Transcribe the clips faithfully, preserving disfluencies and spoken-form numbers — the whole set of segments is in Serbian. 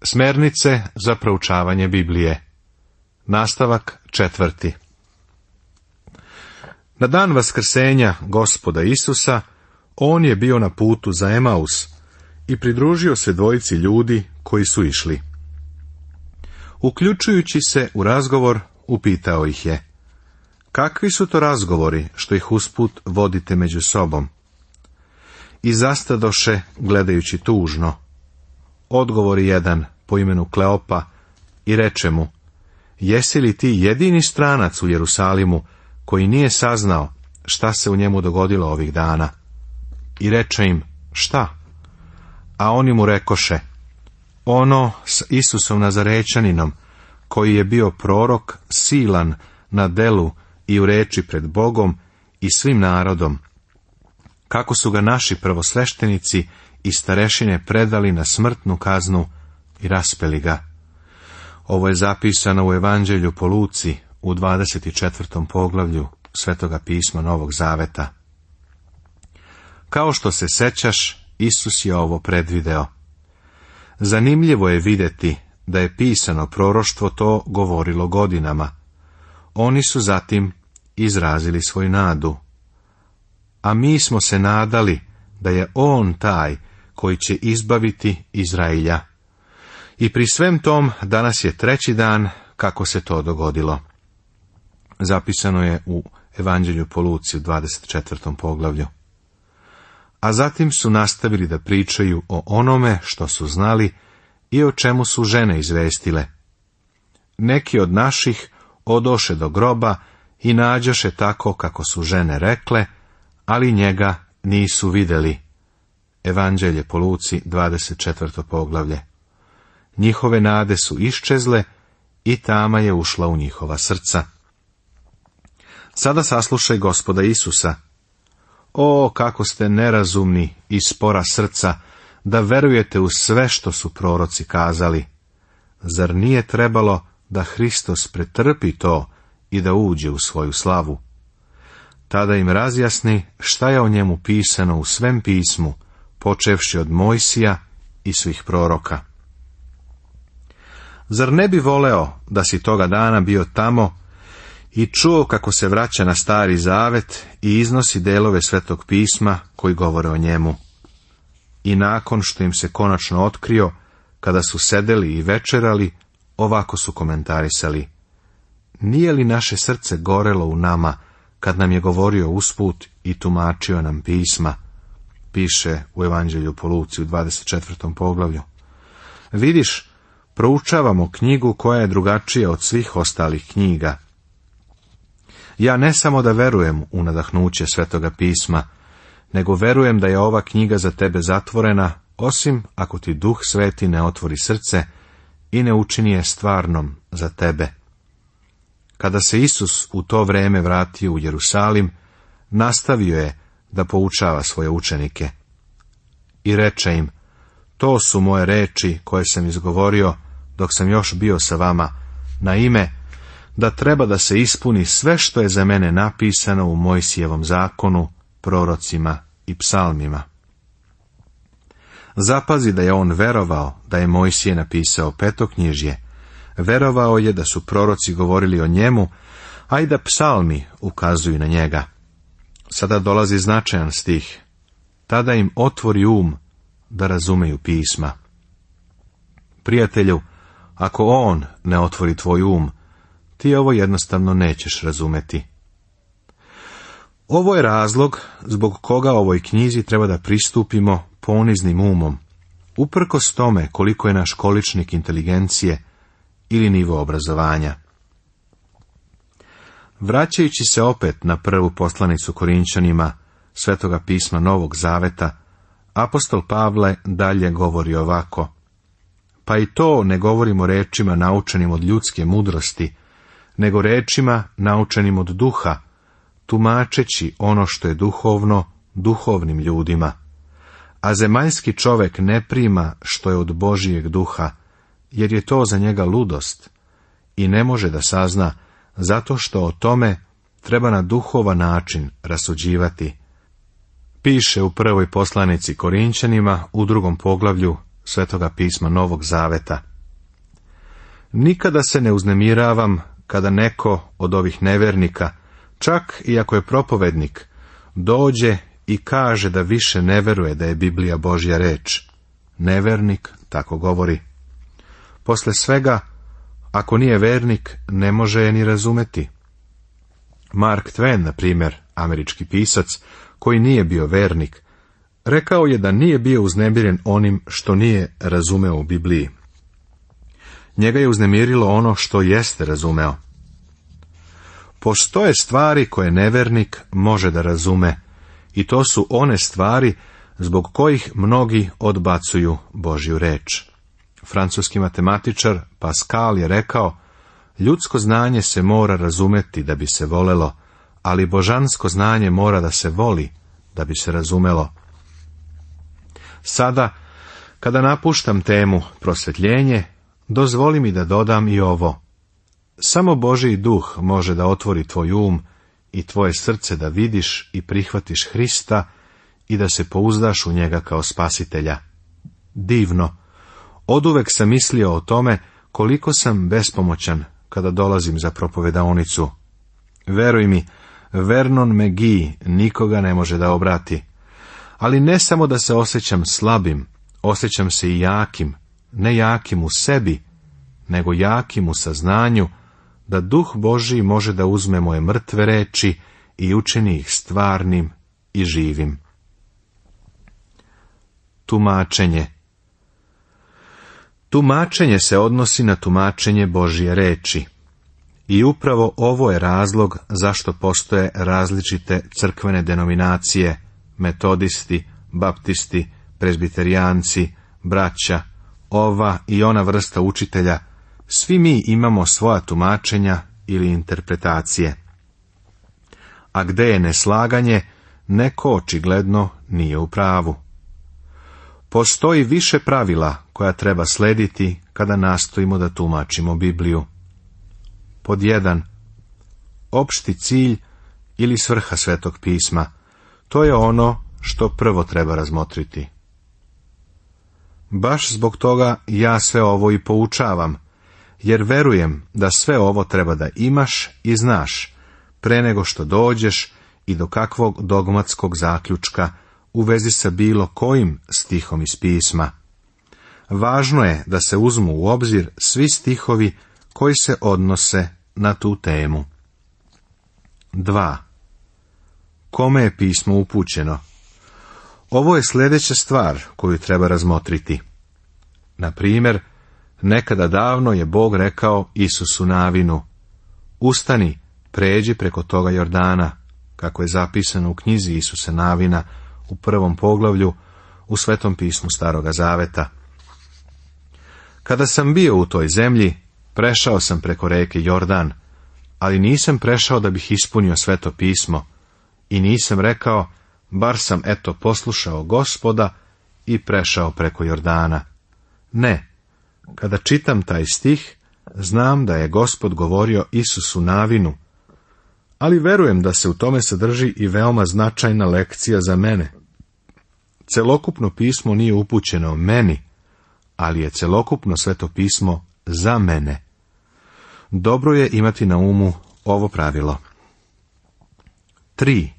Smernice za proučavanje Biblije. Nastavak četvrti. Na dan vaskrsenja Gospoda Isusa, on je bio na putu za Emaus i pridružio se dvojici ljudi koji su išli. Uključujući se u razgovor, upitao ih je: kakvi su to razgovori što ih usput vodite među sobom? I zastadoše gledajući tužno. Odgovori jedan po imenu Kleopa i reče mu: jesi li ti jedini stranac u Jerusalimu koji nije saznao šta se u njemu dogodilo ovih dana? I reče im: šta? A oni mu rekoše: ono s Isusom Nazarećaninom, koji je bio prorok, silan na delu i u reči pred Bogom i svim narodom, kako su ga naši prvosveštenici i starešine predali na smrtnu kaznu i raspeli ga. Ovo je zapisano u Evanđelju po Luci u dvadeset četvrtom poglavlju Svetoga pisma Novog Zaveta. Kao što se sećaš, Isus je ovo predvideo. Zanimljivo je vidjeti da je pisano proroštvo to govorilo godinama. Oni su zatim izrazili svoju nadu. A mi smo se nadali da je on taj koji će izbaviti Izrailja. I pri svem tom danas je treći dan kako se to dogodilo. Zapisano je u Evanđelju po Luci u dvadeset četvrtom poglavlju. A zatim su nastavili da pričaju o onome što su znali i o čemu su žene izvestile. Neki od naših odoše do groba i nađoše tako kako su žene rekle, ali njega nisu vidjeli. Evanđelje po Luci, dvadeset četvrto poglavlje. Njihove nade su iščezle i tama je ušla u njihova srca. Sada saslušaj Gospoda Isusa. O, kako ste nerazumni i spora srca, da verujete u sve što su proroci kazali. Zar nije trebalo da Hristos pretrpi to i da uđe u svoju slavu? Tada im razjasni šta je o njemu pisano u svem pismu, počevši od Mojsija i svih proroka. Zar ne bi voleo da si toga dana bio tamo i čuo kako se vraća na Stari Zavet i iznosi delove Svetog pisma koji govore o njemu? I nakon što im se konačno otkrio, kada su sedeli i večerali, ovako su komentarisali: nije li naše srce gorelo u nama kad nam je govorio usput i tumačio nam pisma? Piše u Evanđelju po Luci u dvadeset četvrtom poglavlju. Vidiš, proučavamo knjigu koja je drugačija od svih ostalih knjiga. Ja ne samo da verujem u nadahnuće Svetoga pisma, nego verujem da je ova knjiga za tebe zatvorena, osim ako ti Duh Sveti ne otvori srce i ne učini je stvarnom za tebe. Kada se Isus u to vreme vratio u Jerusalim, nastavio je da poučava svoje učenike. I reče im: to su moje reči koje sam izgovorio dok sam još bio sa vama, na ime da treba da se ispuni sve što je za mene napisano u Mojsijevom zakonu, prorocima i psalmima. Zapazi da je on verovao da je Mojsije napisao petoknjižje, verovao je da su proroci govorili o njemu, a i da psalmi ukazuju na njega. Sada dolazi značajan stih. Tada im otvori um da razumeju pisma. Prijatelju, ako on ne otvori tvoj um, ti ovo jednostavno nećeš razumeti. Ovo je razlog zbog koga ovoj knjizi treba da pristupimo poniznim umom, uprkos tome koliko je naš količnik inteligencije ili nivo obrazovanja. Vraćajući se opet na prvu poslanicu Korinćanima Svetoga pisma Novog Zaveta, apostol Pavle dalje govori ovako: pa i to ne govorimo rečima naučenim od ljudske mudrosti, nego rečima naučenim od duha, tumačeći ono što je duhovno duhovnim ljudima. A zemaljski čovek ne prima što je od Božijeg duha, jer je to za njega ludost, i ne može da sazna, zato što o tome treba na duhovan način rasuđivati. Piše u prvoj poslanici Korinćanima u drugom poglavlju Svetoga pisma Novog Zaveta. Nikada se ne uznemiravam kada neko od ovih nevernika, čak i ako je propovednik, dođe i kaže da više ne veruje da je Biblija Božja reč. Nevernik tako govori. Posle svega, ako nije vernik, ne može je ni razumeti. Mark Twain, na primjer, američki pisac, koji nije bio vernik, rekao je da nije bio uznemiren onim što nije razumeo u Bibliji. Njega je uznemirilo ono što jeste razumeo. Postoje stvari koje nevernik može da razume, i to su one stvari zbog kojih mnogi odbacuju Božju reč. Francuski matematičar Pascal je rekao, ljudsko znanje se mora razumeti da bi se volelo, ali božansko znanje mora da se voli da bi se razumelo. Sada, kada napuštam temu prosvetljenje, dozvoli mi da dodam i ovo. Samo Božji duh može da otvori tvoj um i tvoje srce da vidiš i prihvatiš Hrista i da se pouzdaš u njega kao spasitelja. Divno! Oduvek sam mislio o tome koliko sam bespomoćan kada dolazim za propovedaonicu. Veruj mi, Vernon McGee nikoga ne može da obrati. Ali ne samo da se osjećam slabim, osjećam se i jakim, ne jakim u sebi, nego jakim u saznanju da Duh Božji može da uzme moje mrtve reči i učini ih stvarnim i živim. Tumačenje. Tumačenje se odnosi na tumačenje Božje reči. I upravo ovo je razlog zašto postoje različite crkvene denominacije, metodisti, baptisti, prezbiterijanci, braća, ova i ona vrsta učitelja. Svi mi imamo svoja tumačenja ili interpretacije. A gde je neslaganje, neko očigledno nije u pravu. Postoji više pravila koja treba slediti kada nastojimo da tumačimo Bibliju. Pod jedan. Opšti cilj ili svrha Svetog pisma. To je ono što prvo treba razmotriti. Baš zbog toga ja sve ovo i poučavam, jer verujem da sve ovo treba da imaš i znaš, pre nego što dođeš i do kakvog dogmatskog zaključka u vezi sa bilo kojim stihom iz pisma. Važno je da se uzmu u obzir svi stihovi koji se odnose na tu temu. dva. Kome je pismo upućeno? Ovo je sljedeća stvar koju treba razmotriti. Na primjer, nekada davno je Bog rekao Isusu Navinu, ustani, pređi preko toga Jordana, kako je zapisano u knjizi Isuse Navina u prvom poglavlju u Svetom pismu Staroga Zaveta. Kada sam bio u toj zemlji, prešao sam preko reke Jordan, ali nisam prešao da bih ispunio Sveto pismo i nisam rekao, bar sam eto poslušao Gospoda i prešao preko Jordana. Ne, kada čitam taj stih, znam da je Gospod govorio Isusu Navinu, ali verujem da se u tome sadrži i veoma značajna lekcija za mene. Celokupno pismo nije upućeno meni, ali je celokupno Sveto pismo za mene. Dobro je imati na umu ovo pravilo. tri.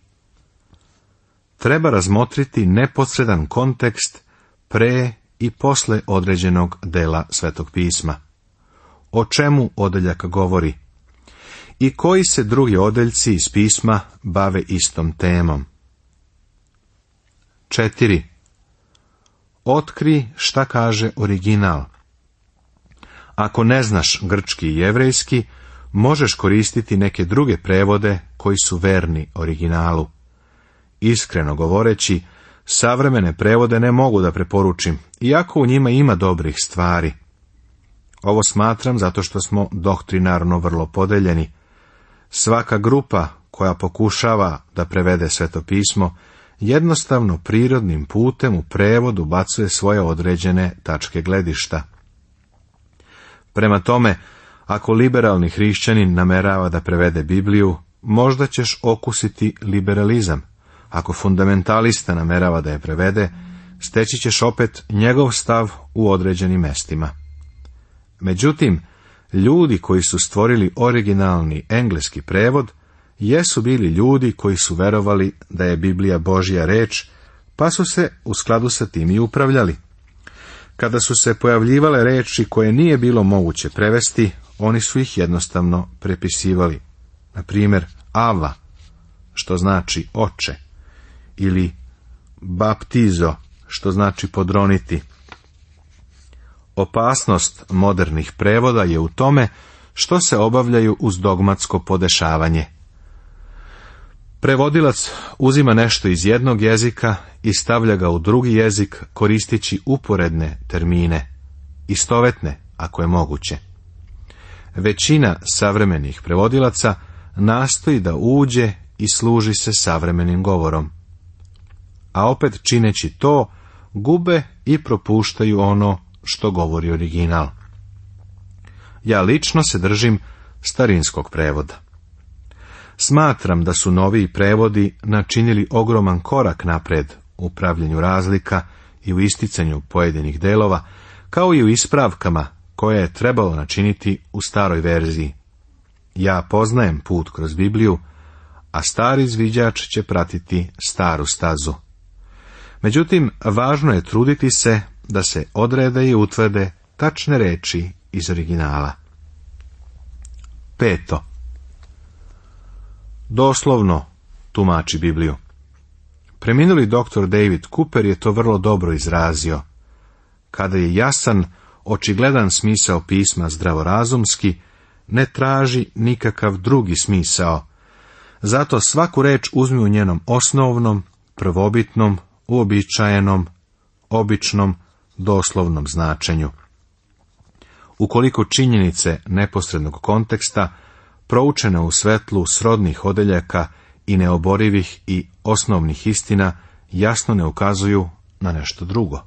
Treba razmotriti neposredan kontekst pre i posle određenog dela Svetog pisma. O čemu odeljak govori? I koji se drugi odeljci iz pisma bave istom temom? četiri. Otkri šta kaže original. Ako ne znaš grčki i jevrejski, možeš koristiti neke druge prevode koji su verni originalu. Iskreno govoreći, savremene prevode ne mogu da preporučim, iako u njima ima dobrih stvari. Ovo smatram zato što smo doktrinarno vrlo podeljeni. Svaka grupa koja pokušava da prevede Sveto pismo, jednostavno prirodnim putem u prevodu bacuje svoje određene tačke gledišta. Prema tome, ako liberalni hrišćanin namerava da prevede Bibliju, možda ćeš okusiti liberalizam. Ako fundamentalista namerava da je prevede, steći ćeš opet njegov stav u određenim mestima. Međutim, Ljudi koji su stvorili originalni engleski prevod jesu bili ljudi koji su verovali da je Biblija Božja reč, pa su se u skladu sa tim i upravljali. Kada su se pojavljivale reči koje nije bilo moguće prevesti, oni su ih jednostavno prepisivali. Na primjer, Ava, što znači oče, ili baptizo, što znači podroniti. Opasnost modernih prevoda je u tome što se obavljaju uz dogmatsko podešavanje. Prevodilac uzima nešto iz jednog jezika i stavlja ga u drugi jezik koristeći uporedne termine, istovetne ako je moguće. Većina savremenih prevodilaca nastoji da uđe i služi se savremenim govorom. A opet čineći to, gube i propuštaju ono što govori original. Ja lično se držim starinskog prevoda. Smatram da su noviji prevodi načinili ogroman korak napred u pravljenju razlika i u isticanju pojedinih delova, kao i u ispravkama koje je trebalo načiniti u staroj verziji. Ja poznajem put kroz Bibliju, a stari izviđač će pratiti staru stazu. Međutim, važno je truditi se da se odrede i utvrde tačne reči iz originala. Peto. Doslovno tumači Bibliju. Preminuli doktor David Cooper je to vrlo dobro izrazio. Kada je jasan, očigledan smisao pisma zdravorazumski, ne traži nikakav drugi smisao. Zato svaku reč uzmi u njenom osnovnom, prvobitnom, uobičajenom, običnom, doslovnom značenju. Ukoliko činjenice neposrednog konteksta, proučene u svetlu srodnih odeljaka i neoborivih i osnovnih istina, jasno ne ukazuju na nešto drugo.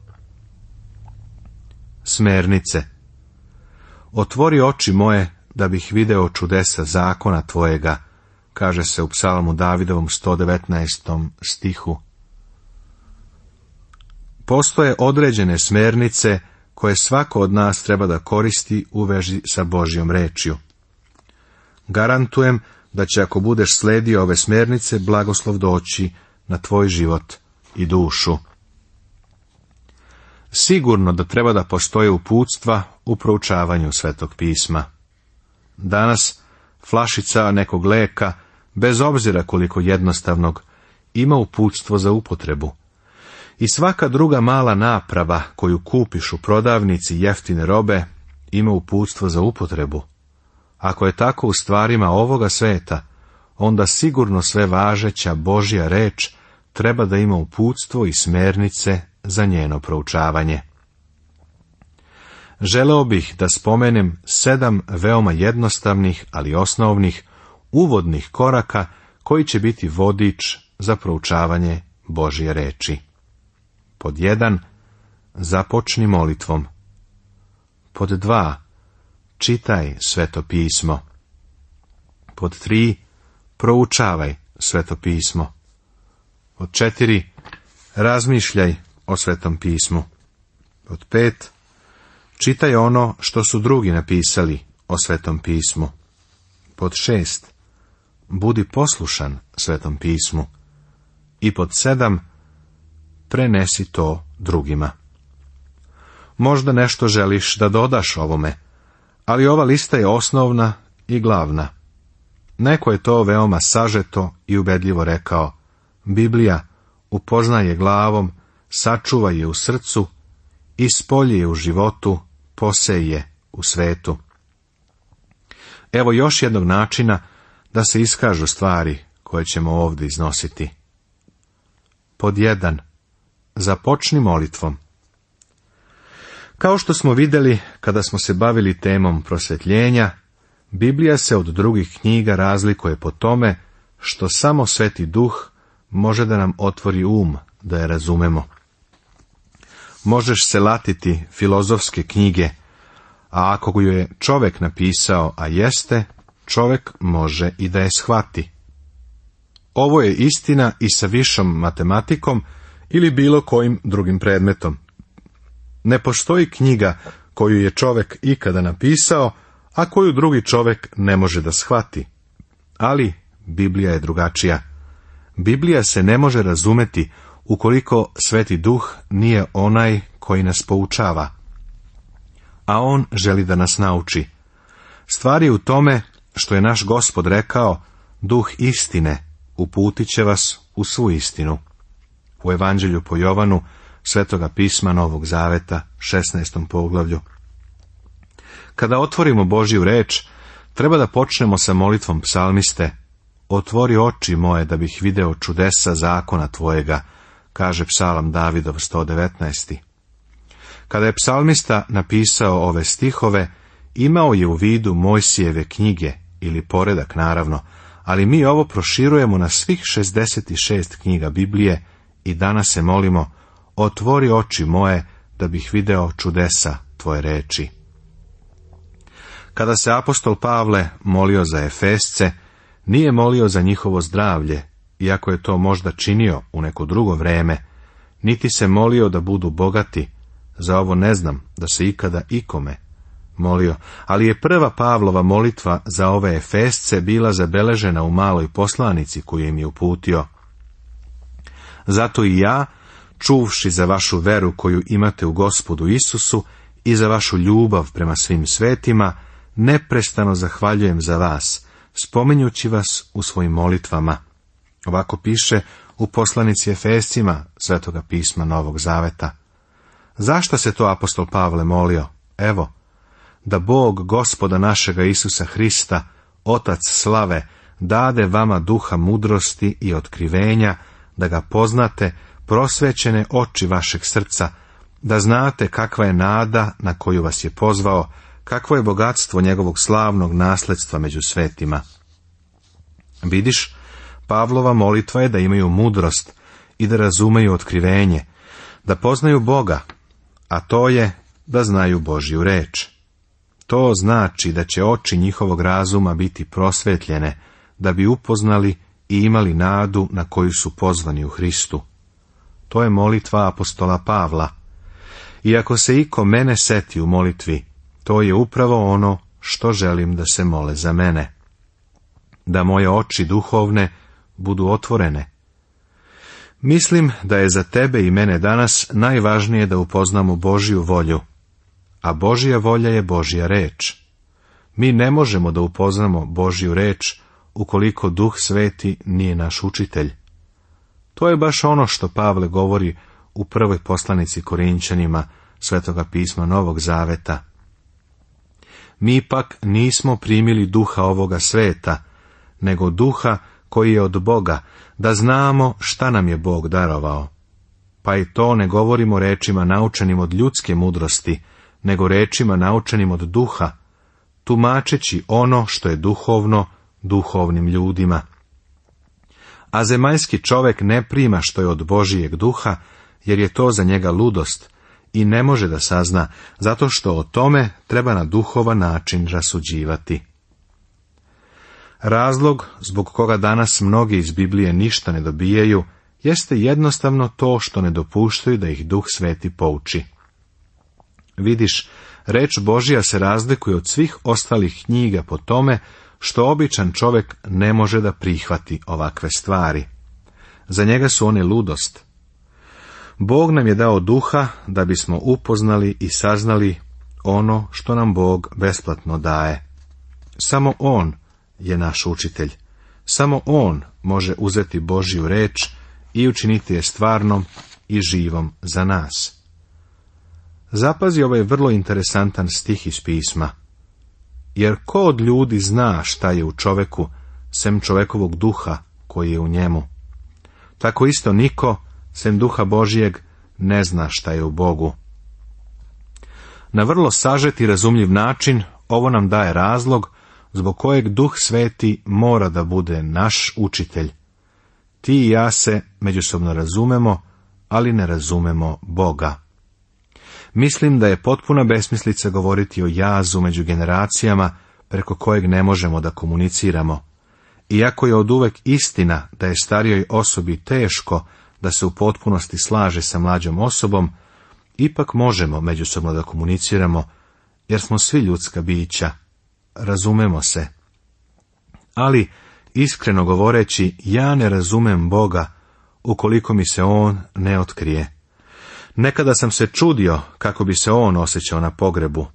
Smernice. Otvori oči moje da bih video čudesa zakona tvojega, kaže se u psalmu Davidovom sto devetnaestom stihu. Postoje određene smernice koje svako od nas treba da koristi u vezi sa Božjom rečju. Garantujem da će, ako budeš sledio ove smernice, blagoslov doći na tvoj život i dušu. Sigurno da treba da postoje uputstva u proučavanju Svetog pisma. Danas flašica nekog leka, bez obzira koliko jednostavnog, ima uputstvo za upotrebu. I svaka druga mala naprava koju kupiš u prodavnici jeftine robe ima uputstvo za upotrebu. Ako je tako u stvarima ovoga sveta, onda sigurno sve važeća Božja reč treba da ima uputstvo i smernice za njeno proučavanje. Želeo bih da spomenem sedam veoma jednostavnih, ali osnovnih, uvodnih koraka koji će biti vodič za proučavanje Božje reči. Pod jedan, započni molitvom. Pod dva, čitaj Sveto pismo. Pod tri, proučavaj Sveto pismo. Pod četiri, razmišljaj o Svetom pismu. Pod pet, čitaj ono što su drugi napisali o Svetom pismu. Pod šest, budi poslušan Svetom pismu. I pod sedam, prenesi to drugima. Možda nešto želiš da dodaš ovome, ali ova lista je osnovna i glavna. Neko je to veoma sažeto i ubedljivo rekao: Biblija upoznaj je glavom, sačuvaj je u srcu, ispolji je u životu, posej je u svetu. Evo još jednog načina da se iskažu stvari koje ćemo ovdje iznositi. Pod jedan. Započni molitvom. Kao što smo vidjeli kada smo se bavili temom prosvetljenja, Biblija se od drugih knjiga razlikuje po tome što samo Sveti Duh može da nam otvori um da je razumemo. Možeš se latiti filozofske knjige, a ako ju je čovjek napisao, a jeste, čovjek može i da je shvati. Ovo je istina i sa višom matematikom ili bilo kojim drugim predmetom. Ne postoji knjiga koju je čovjek ikada napisao, a koju drugi čovjek ne može da shvati. Ali Biblija je drugačija. Biblija se ne može razumeti ukoliko Sveti Duh nije onaj koji nas poučava. A on želi da nas nauči. Stvar je u tome što je naš Gospod rekao, Duh istine uputit će vas u svu istinu. U Evanđelju po Jovanu, Svetoga pisma Novog Zaveta, šesnaestom poglavlju. Kada otvorimo Božju reč, treba da počnemo sa molitvom psalmiste, otvori oči moje da bih video čudesa zakona tvojega, kaže psalam Davidov sto devetnaest. Kada je psalmista napisao ove stihove, imao je u vidu Mojsijeve knjige, ili poredak naravno, ali mi ovo proširujemo na svih šezdeset šest knjiga Biblije i danas se molimo, otvori oči moje da bih video čudesa tvoje reči. Kada se apostol Pavle molio za Efesce, nije molio za njihovo zdravlje, iako je to možda činio u neko drugo vreme, niti se molio da budu bogati, za ovo ne znam da se ikada ikome molio, ali je prva Pavlova molitva za ove Efesce bila zabeležena u maloj poslanici koju im je uputio. Zato i ja, čuvši za vašu veru koju imate u Gospodu Isusu i za vašu ljubav prema svim svetima, neprestano zahvaljujem za vas, spominjući vas u svojim molitvama. Ovako piše u poslanici Efescima Svetoga pisma Novog Zaveta. Zašto se to apostol Pavle molio? Evo, da Bog Gospoda našega Isusa Hrista, Otac slave, dade vama duha mudrosti i otkrivenja, da ga poznate, prosvećene oči vašeg srca, da znate kakva je nada na koju vas je pozvao, kakvo je bogatstvo njegovog slavnog nasledstva među svetima. Vidiš, Pavlova molitva je da imaju mudrost i da razumeju otkrivenje, da poznaju Boga, a to je da znaju Božju reč. To znači da će oči njihovog razuma biti prosvetljene, da bi upoznali i imali nadu na koju su pozvani u Hristu. To je molitva apostola Pavla. I ako se iko mene seti u molitvi, to je upravo ono što želim da se mole za mene. Da moje oči duhovne budu otvorene. Mislim da je za tebe i mene danas najvažnije da upoznamo Božju volju, a Božja volja je Božja reč. Mi ne možemo da upoznamo Božju reč ukoliko Duh Sveti nije naš učitelj. To je baš ono što Pavle govori u prvoj poslanici Korinćanima Svetoga pisma Novog Zaveta. Mi pak nismo primili duha ovoga sveta, nego duha koji je od Boga, da znamo šta nam je Bog darovao. Pa i to ne govorimo rečima naučenim od ljudske mudrosti, nego rečima naučenim od duha, tumačeći ono što je duhovno duhovnim ljudima. A zemaljski čovjek ne prima što je od Božijeg duha, jer je to za njega ludost i ne može da sazna, zato što o tome treba na duhovan način rasuđivati. Razlog zbog koga danas mnogi iz Biblije ništa ne dobijaju, jeste jednostavno to što ne dopuštaju da ih Duh Sveti pouči. Vidiš, reč Božja se razlikuje od svih ostalih knjiga po tome što običan čovjek ne može da prihvati ovakve stvari. Za njega su one ludost. Bog nam je dao duha da bismo upoznali i saznali ono što nam Bog besplatno daje. Samo On je naš učitelj. Samo On može uzeti Božju reč i učiniti je stvarnom i živom za nas. Zapazi ovaj vrlo interesantan stih iz pisma. Jer ko od ljudi zna šta je u čoveku, sem čovekovog duha koji je u njemu? Tako isto niko, sem duha Božijeg, ne zna šta je u Bogu. Na vrlo sažet i razumljiv način ovo nam daje razlog zbog kojeg Duh Sveti mora da bude naš učitelj. Ti i ja se međusobno razumemo, ali ne razumemo Boga. Mislim da je potpuna besmislica govoriti o jazu među generacijama preko kojeg ne možemo da komuniciramo. Iako je oduvek istina da je starijoj osobi teško da se u potpunosti slaže sa mlađom osobom, ipak možemo međusobno da komuniciramo, jer smo svi ljudska bića. razumemo se. Ali, iskreno govoreći, ja ne razumem Boga ukoliko mi se on ne otkrije. Nekada sam se čudio kako bi se on osjećao na pogrebu.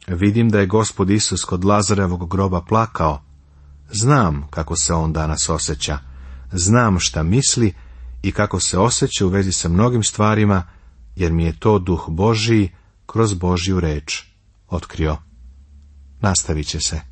Vidim da je Gospod Isus kod Lazarevog groba plakao. Znam kako se on danas osjeća. Znam šta misli i kako se osjeća u vezi sa mnogim stvarima, jer mi je to Duh Božiji kroz Božju reč otkrio. Nastavit će se.